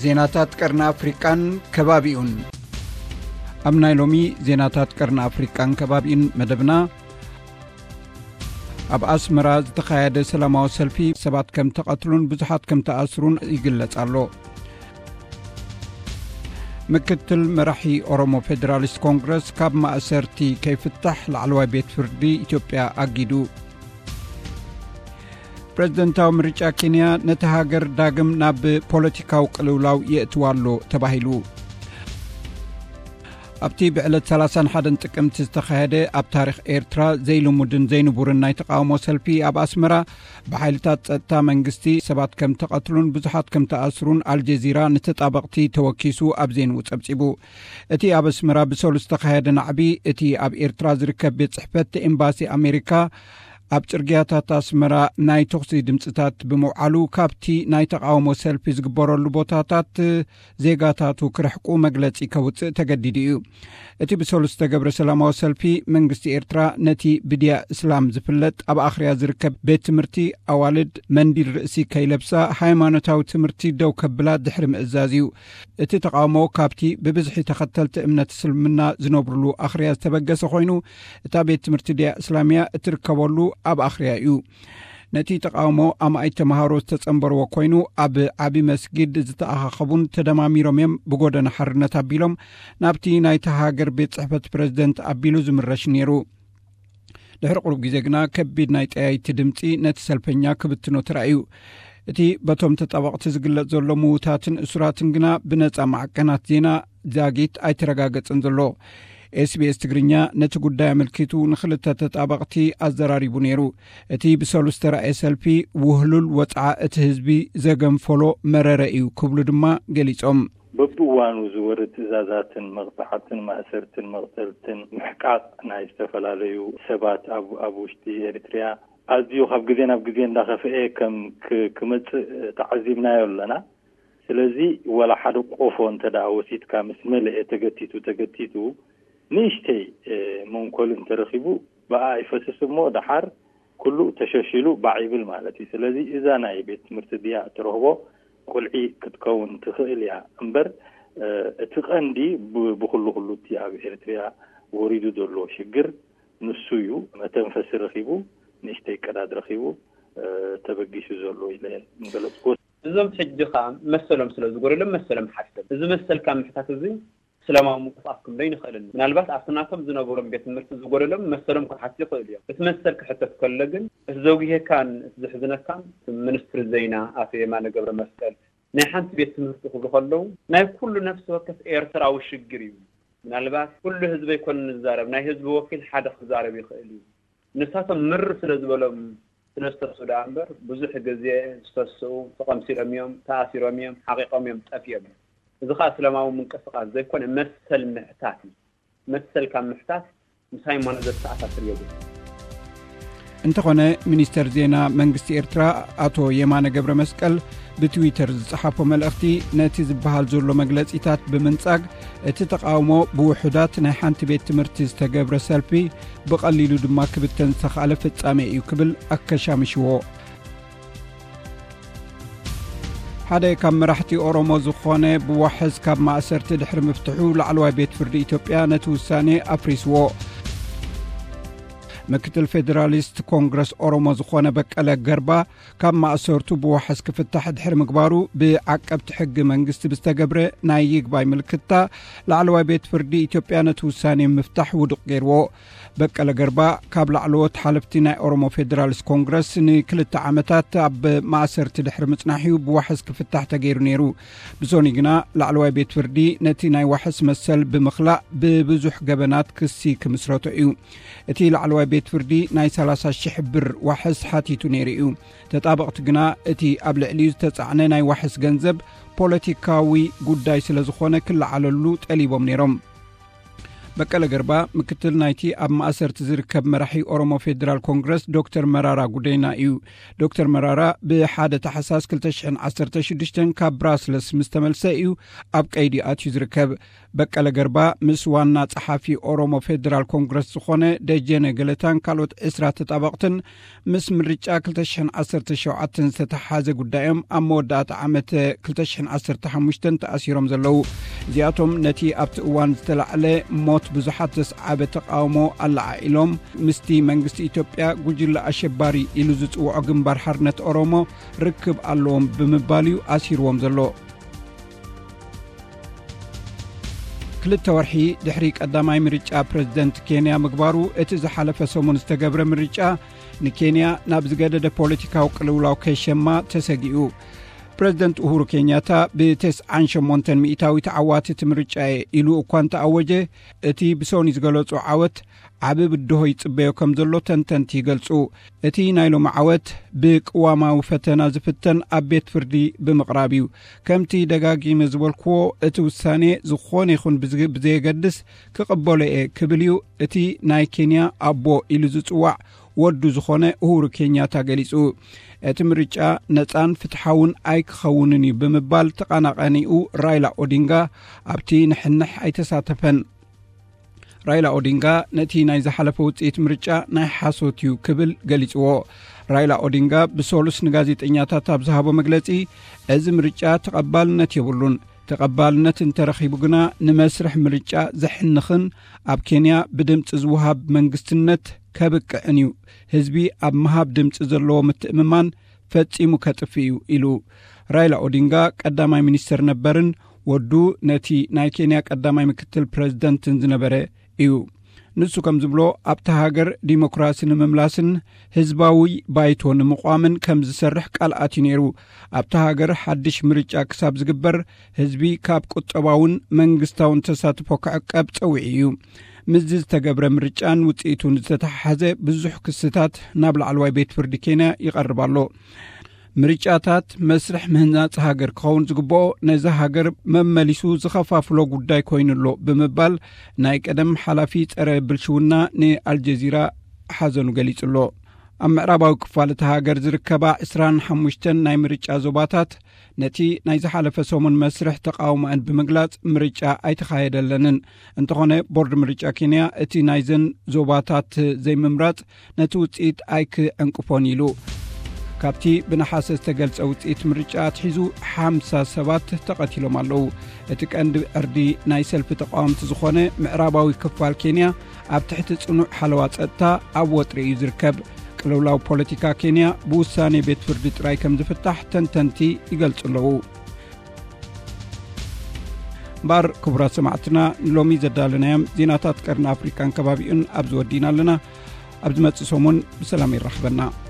ዜናታት ቀርኒ ኣፍሪቃን ከባቢኡን። ኣብ ናይ ሎሚ ዜናታት ቀርኒ ኣፍሪቃን ከባቢኡን መደብና፣ ኣብ ኣስመራ ዝተኻየደ ሰላማዊ ሰልፊ ሰባት ከም ተቐትሉን ብዙሓት ከም ተኣስሩን ይግለጽ ኣሎ። ምክትል መራሒ ኦሮሞ ፌደራሊስት ኮንግረስ ካብ ማእሰርቲ ከይፍታሕ ላዕለዋይ ቤት ፍርዲ ኢትዮጵያ ኣጊዱ። ፕሬዝደንታዊ ምርጫ ኬንያ ነቲ ሃገር ዳግም ናብ ፖለቲካዊ ቅልውላው የእትዋ ኣሎ ተባሂሉ። ኣብቲ ብዕለት ሰላሳን ሓደን ጥቅምቲ ዝተኻየደ ኣብ ታሪኽ ኤርትራ ዘይልሙድን ዘይንቡርን ናይ ተቃውሞ ሰልፊ ኣብ ኣስመራ ብሓይልታት ጸጥታ መንግስቲ ሰባት ከም ተቐትሉን ብዙሓት ከም ተኣስሩን ኣልጀዚራ ንተጣበቕቲ ተወኪሱ ኣብ ዜንኡ ጸብጺቡ። እቲ ኣብ ኣስመራ ብሰሉስ ዝተኻየደ ናዕቢ እቲ ኣብ ኤርትራ ዝርከብ ቤት ጽሕፈት ኤምባሲ ኣሜሪካ ኣብ ጽርግያታት ኣስመራ ናይ ተኹሲ ድምጽታት ብምውዓሉ ካብቲ ናይ ተቃውሞ ሰልፊ ዝግበረሉ ቦታታት ዜጋታቱ ክርሕቁ መግለጺ ከውጽእ ተገዲዱ እዩ። እቲ ብሰሉስ ዝተገብረ ሰላማዊ ሰልፊ መንግስቲ ኤርትራ ነቲ ብድያ እስላም ዝፍለጥ ኣብ ኣኽርያ ዝርከብ ቤት ትምህርቲ ኣዋልድ መንዲል ርእሲ ከይለብሳ ሃይማኖታዊ ትምህርቲ ደው ከብላ ድሕሪ ምእዛዝ እዩ። እቲ ተቃውሞ ካብቲ ብብዝሒ ተኸተልቲ እምነት እስልምና ዝነብሩሉ ኣኽርያ ዝተበገሰ ኮይኑ፣ እታ ቤት ትምህርቲ ድያ እስላምያ እትርከበሉ ኣብ ኣኽርያ እዩ። ነቲ ተቃውሞ ኣማኢት ተምሃሮ ዝተጸንበርዎ ኮይኑ፣ ኣብ ዓቢ መስጊድ ዝተኣኻኸቡን ተደማሚሮም እዮም ብጎደና ሓርነት ኣቢሎም ናብቲ ናይታ ሃገር ቤት ጽሕፈት ፕረዚደንት ኣቢሉ ዝምረሽ ነይሩ። ድሕሪ ቁሩብ ግዜ ግና ከቢድ ናይ ጠያይቲ ድምጺ ነቲ ሰልፈኛ ክብትኖ ተራእዩ። እቲ በቶም ተጣበቕቲ ዝግለጽ ዘሎ ምዉታትን እሱራትን ግና ብነጻ ማዕቀናት ዜና ዛጊት ኣይተረጋገጸን ዘሎ። ኤስቢኤስ ትግርኛ ነቲ ጉዳይ ኣመልኪቱ ንኽልተ ተጣበቕቲ ኣዘራሪቡ ነይሩ። እቲ ብሰሉስ ተራእየ ሰልፊ ውህሉል ወጽዓ እቲ ህዝቢ ዘገንፈሎ መረረ እዩ ክብሉ ድማ ገሊጾም። በብእዋኑ ዝወርድ ትእዛዛትን መቕጻዕትን ማእሰርትን መቕተልትን ምሕቃቕ ናይ ዝተፈላለዩ ሰባት ኣብ፣ ኣብ ውሽጢ ኤሪትሪያ ኣዝዩ ካብ ግዜ ናብ ግዜ እንዳኸፍኤ ከም ክ-፣ ክመጽእ ተዓዚብናዮ ኣለና። ስለዚ ወላ ሓደ ቆፎ እንተ ደኣ ወሲድካ ምስ መለኤ ተገቲቱ፣ ተገቲቱ ንእሽተይ፣ እ፣ መንኮል እንተረኺቡ ብኣ ይፈስስ እሞ ደሓር ኩሉ ተሸሺሉ ባዕ ይብል ማለት እዩ። ስለዚ እዛ ናይ ቤት ትምህርቲ ድያ እትረኽቦ ቁልዒ ክትከውን ትኽእል እያ እምበር፣ እ፣ እቲ ቀንዲ ብ-፣ ብኹሉ ኩሉ እቲ ኣብ ኤርትርያ ወሪዱ ዘሎ ሽግር ንሱ እዩ። መተንፈሲ ረኺቡ፣ ንእሽተይ ቀዳድ ረኺቡ፣ እ፣ ተበጊሱ ዘሎ ኢለ ምገለጽኩ። እዞም ሕጂ ኸኣ መሰሎም ስለ ዝጎደሎም መሰሎም ሓቲቶም። እዚ መሰልካ ምሕታት እዚ ሰላማዊ ምንቅስቓስ ክንብሎ ኣይንኽእልን። ምናልባት ኣብቲ ናቶም ዝነበሮም ቤት ትምህርቲ ዝጎደሎም መሰሎም ክሓቱ ይኽእሉ እዮም። እቲ መሰል ክሕተት ከሎ ግን እቲ ዘጉሄካን እቲ ዘሕዝነካን ሚኒስትሪ ዜና ኣቶ የማነ ገብረ መስቀል ናይ ሓንቲ ቤት ትምህርቲ ክብሉ ከለዉ ናይ ኩሉ ነፍሲ ወከፍ ኤርትራዊ ሽግር እዩ። ምናልባት ኩሉ ህዝቢ ኣይኮነን ዝዛረብ፣ ናይ ህዝቢ ወኪል ሓደ ክዛረብ ይኽእል እዩ። ንሳቶም ምር ስለ ዝበሎም ስለ ዝተስኡ ደኣ እምበር ብዙሕ ግዜ ዝተስኡ ተቐምሲሎም እዮም፣ ተኣሲሮም እዮም፣ ሓቒቖም እዮም፣ ጠፊኦም እዮም። እዚ ኸኣ እስላማዊ ምንቅስቓስ ዘይኮነ መሰል ምሕታት እዩ። መሰል ካብ ምሕታት ምስ ሃይማኖት ዘተኣሳስር የብሉን። እንተኾነ ሚኒስተር ዜና መንግስቲ ኤርትራ ኣቶ የማነ ገብረ መስቀል ብትዊተር ዝጸሓፎ መልእኽቲ ነቲ ዝበሃል ዘሎ መግለጺታት ብምንጻግ እቲ ተቓውሞ ብውሑዳት ናይ ሓንቲ ቤት ትምህርቲ ዝተገብረ ሰልፊ ብቐሊሉ ድማ ክብተን ዝተኻእለ ፍጻሜ እዩ ክብል ኣከሻምሽዎ። ሓደ ካብ መራሕቲ ኦሮሞ ዝኾነ ብዋሕስ ካብ ማእሰርቲ ድሕሪ ምፍትሑ ላዕለዋይ ቤት ፍርዲ ኢትዮጵያ ነቲ ውሳኔ ኣፍሪስዎ። ምክትል ፌዴራሊስት ኮንግረስ ኦሮሞ ዝኾነ በቀለ ገርባ ካብ ማእሰርቱ ብዋሕስ ክፍታሕ ድሕሪ ምግባሩ ብዓቀብቲ ሕጊ መንግስቲ ብዝተገብረ ናይ ይግባይ ምልክታ ላዕለዋይ ቤት ፍርዲ ኢትዮጵያ ነቲ ውሳኔ ምፍታሕ ውዱቕ ገይርዎ። በቀለ ገርባ ካብ ላዕለዎት ሓለፍቲ ናይ ኦሮሞ ፌዴራሊስት ኮንግረስ ንክልተ ዓመታት ኣብ ማእሰርቲ ድሕሪ ምጽናሕ'ዩ ብዋሕስ ክፍታሕ ተገይሩ ነይሩ። ብሶኒ ግና ላዕለዋይ ቤት ፍርዲ ነቲ ናይ ዋሕስ መሰል ብምኽላእ ብብዙሕ ገበናት ክሲ ክምስረቶ እዩ። እቲ ላዕለዋይ ቤት ፍርዲ ናይ ሰላሳ ሺሕ ብር ዋሕስ ሓቲቱ ነይሩ እዩ። ተጣበቕቲ ግና እቲ ኣብ ልዕሊኡ ዝተጻዕነ ናይ ዋሕስ ገንዘብ ፖለቲካዊ ጉዳይ ስለ ዝኾነ ክለዓለሉ ጠሊቦም ነይሮም። በቀለ ገርባ ምክትል ናይቲ ኣብ ማእሰርቲ ዝርከብ መራሒ ኦሮሞ ፌዴራል ኮንግረስ ዶክተር መራራ ጉደና እዩ። ዶክተር መራራ ብ ሓደ ታሕሳስ ክልተ ሽሕን ዓሰርተ ሽዱሽተን ካብ ብራስለስ ምስ ተመልሰ እዩ ኣብ ቀይዲ ኣትዩ ዝርከብ። በቀለ ገርባ ምስ ዋና ጸሓፊ ኦሮሞ ፌዴራል ኮንግረስ ዝኾነ ደጀነ ገለታን ካልኦት ዕስራ ተጣበቕትን ምስ ምርጫ ክልተ ሽሕን ዓሰርተ ሸውዓተን ዝተተሓሓዘ ጉዳዮም ኣብ መወዳእታ ዓመት ክልተ ሽሕን ዓሰርተ ሓሙሽተን ተኣሲሮም ዘለዉ። እዚኣቶም ነቲ ኣብቲ እዋን ዝተላዕለ ሞት ብዙሓት ዘስዓበ ተቃውሞ ኣለዓዒሎም ምስቲ መንግስቲ ኢትዮጵያ ጉጅለ ኣሸባሪ ኢሉ ዝጽውዖ ግንባር ሓርነት ኦሮሞ ርክብ ኣለዎም ብምባል እዩ ኣሲርዎም ዘሎ። ክልተ ወርሒ ድሕሪ ቀዳማይ ምርጫ ፕረዚደንት ኬንያ ምግባሩ፣ እቲ ዝሓለፈ ሰሙን ዝተገብረ ምርጫ ንኬንያ ናብ ዝገደደ ፖለቲካዊ ቅልውላው ከይሸማ ተሰጊኡ። ፕረዚደንት ኡሁሩ ኬንያታ ብተስዓን ሸሞንተን ሚእታዊት ዓዋቲ እቲ ምርጫ እየ ኢሉ እኳ እንተኣወጀ፣ እቲ ብሶኒ ዝገለጾ ዓወት ዓቢ ብድሆ ይጽበዮ ከም ዘሎ ተንተንቲ ይገልጹ። እቲ ናይ ሎሚ ዓወት ብቅዋማዊ ፈተና ዝፍተን ኣብ ቤት ፍርዲ ብምቕራብ እዩ። ከምቲ ደጋጊመ ዝበልክዎ፣ እቲ ውሳኔ ዝኾነ ይኹን ብዝ-፣ ብዘየገድስ ክቕበሎ እየ ክብል እዩ እቲ ናይ ኬንያ ኣቦ ኢሉ ዝጽዋዕ ወዱ ዝኾነ ኡሁሩ ኬንያታ ገሊጹ። እቲ ምርጫ ነጻን ፍትሓውን ኣይክኸውንን እዩ ብምባል ተቐናቓኒኡ ራይላ ኦዲንጋ ኣብቲ ንሕንሕ ኣይተሳተፈን። ራይላ ኦዲንጋ ነቲ ናይ ዝሓለፈ ውጽኢት ምርጫ ናይ ሓሶት እዩ ክብል ገሊጽዎ። ራይላ ኦዲንጋ ብሰሉስ ንጋዜጠኛታት ኣብ ዝሃቦ መግለጺ፣ እዚ ምርጫ ተቐባልነት የብሉን። ተቐባልነት እንተረኺቡ ግና ንመስርሕ ምርጫ ዘሕንኽን ኣብ ኬንያ ብድምጺ ዝወሃብ መንግስትነት ከብቅዕን እዩ። ህዝቢ ኣብ ምሃብ ድምጺ ዘለዎ ምትእምማን ፈጺሙ ከጥፍእ እዩ ኢሉ። ራይላ ኦዲንጋ ቀዳማይ ሚኒስተር ነበርን ወዱ ነቲ ናይ ኬንያ ቀዳማይ ምክትል ፕረዚደንትን ዝነበረ እዩ። ንሱ ከም ዝብሎ ኣብታ ሃገር ዲሞክራሲ ንምምላስን ህዝባዊ ባይቶ ንምቋምን ከም ዝሰርሕ ቃል ኣትዩ ነይሩ። ኣብታ ሃገር ሓድሽ ምርጫ ክሳብ ዝግበር ህዝቢ ካብ ቁጠባውን መንግስታውን ተሳትፎ ክዕቀብ ጸዊዑ እዩ። ምስዚ ዝተገብረ ምርጫን ውጽኢቱን ዝተተሓሓዘ ብዙሕ ክስታት ናብ ላዕለዋይ ቤት ፍርዲ ኬንያ ይቐርብ ኣሎ። ምርጫታት መስርሕ ምህናጽ ሃገር ክኸውን ዝግብኦ ነዛ ሃገር መመሊሱ ዝኸፋፍሎ ጉዳይ ኮይኑ ኣሎ ብምባል ናይ ቀደም ሓላፊ ጸረ ብልሽውና ንኣልጀዚራ ሓዘኑ ገሊጹ ኣሎ። ኣብ ምዕራባዊ ክፋል እታ ሃገር ዝርከባ ዕስራን ሓሙሽተን ናይ ምርጫ ዞባታት ነቲ ናይ ዝሓለፈ ሰሙን መስርሕ ተቃውሞአን ብምግላጽ ምርጫ ኣይተኻየደለንን። እንተኾነ ቦርድ ምርጫ ኬንያ እቲ ናይዘን ዞባታት ዘይምምራጽ ነቲ ውጽኢት ኣይክዕንቅፎን ኢሉ። ካብቲ ብነሓሰ ዝተገልጸ ውጽኢት ምርጫ ኣትሒዙ ሓምሳ ሰባት ተቐቲሎም ኣለዉ። እቲ ቀንዲ ዕርዲ ናይ ሰልፊ ተቃወምቲ ዝኾነ ምዕራባዊ ክፋል ኬንያ ኣብ ትሕቲ ጽኑዕ ሓለዋ ጸጥታ ኣብ ወጥሪ እዩ ዝርከብ። ቅልውላው ፖለቲካ ኬንያ ብውሳኔ ቤት ፍርዲ ጥራይ ከም ዝፍታሕ ተንተንቲ ይገልጹ ኣለዉ። እምበኣር ክቡራት ሰማዕትና፣ ንሎሚ ዘዳለናዮም ዜናታት ቀርኒ ኣፍሪቃን ከባቢኡን ኣብዚ ወዲእና ኣለና። ኣብ ዝመጽእ ሰሙን ብሰላም ይራኽበና።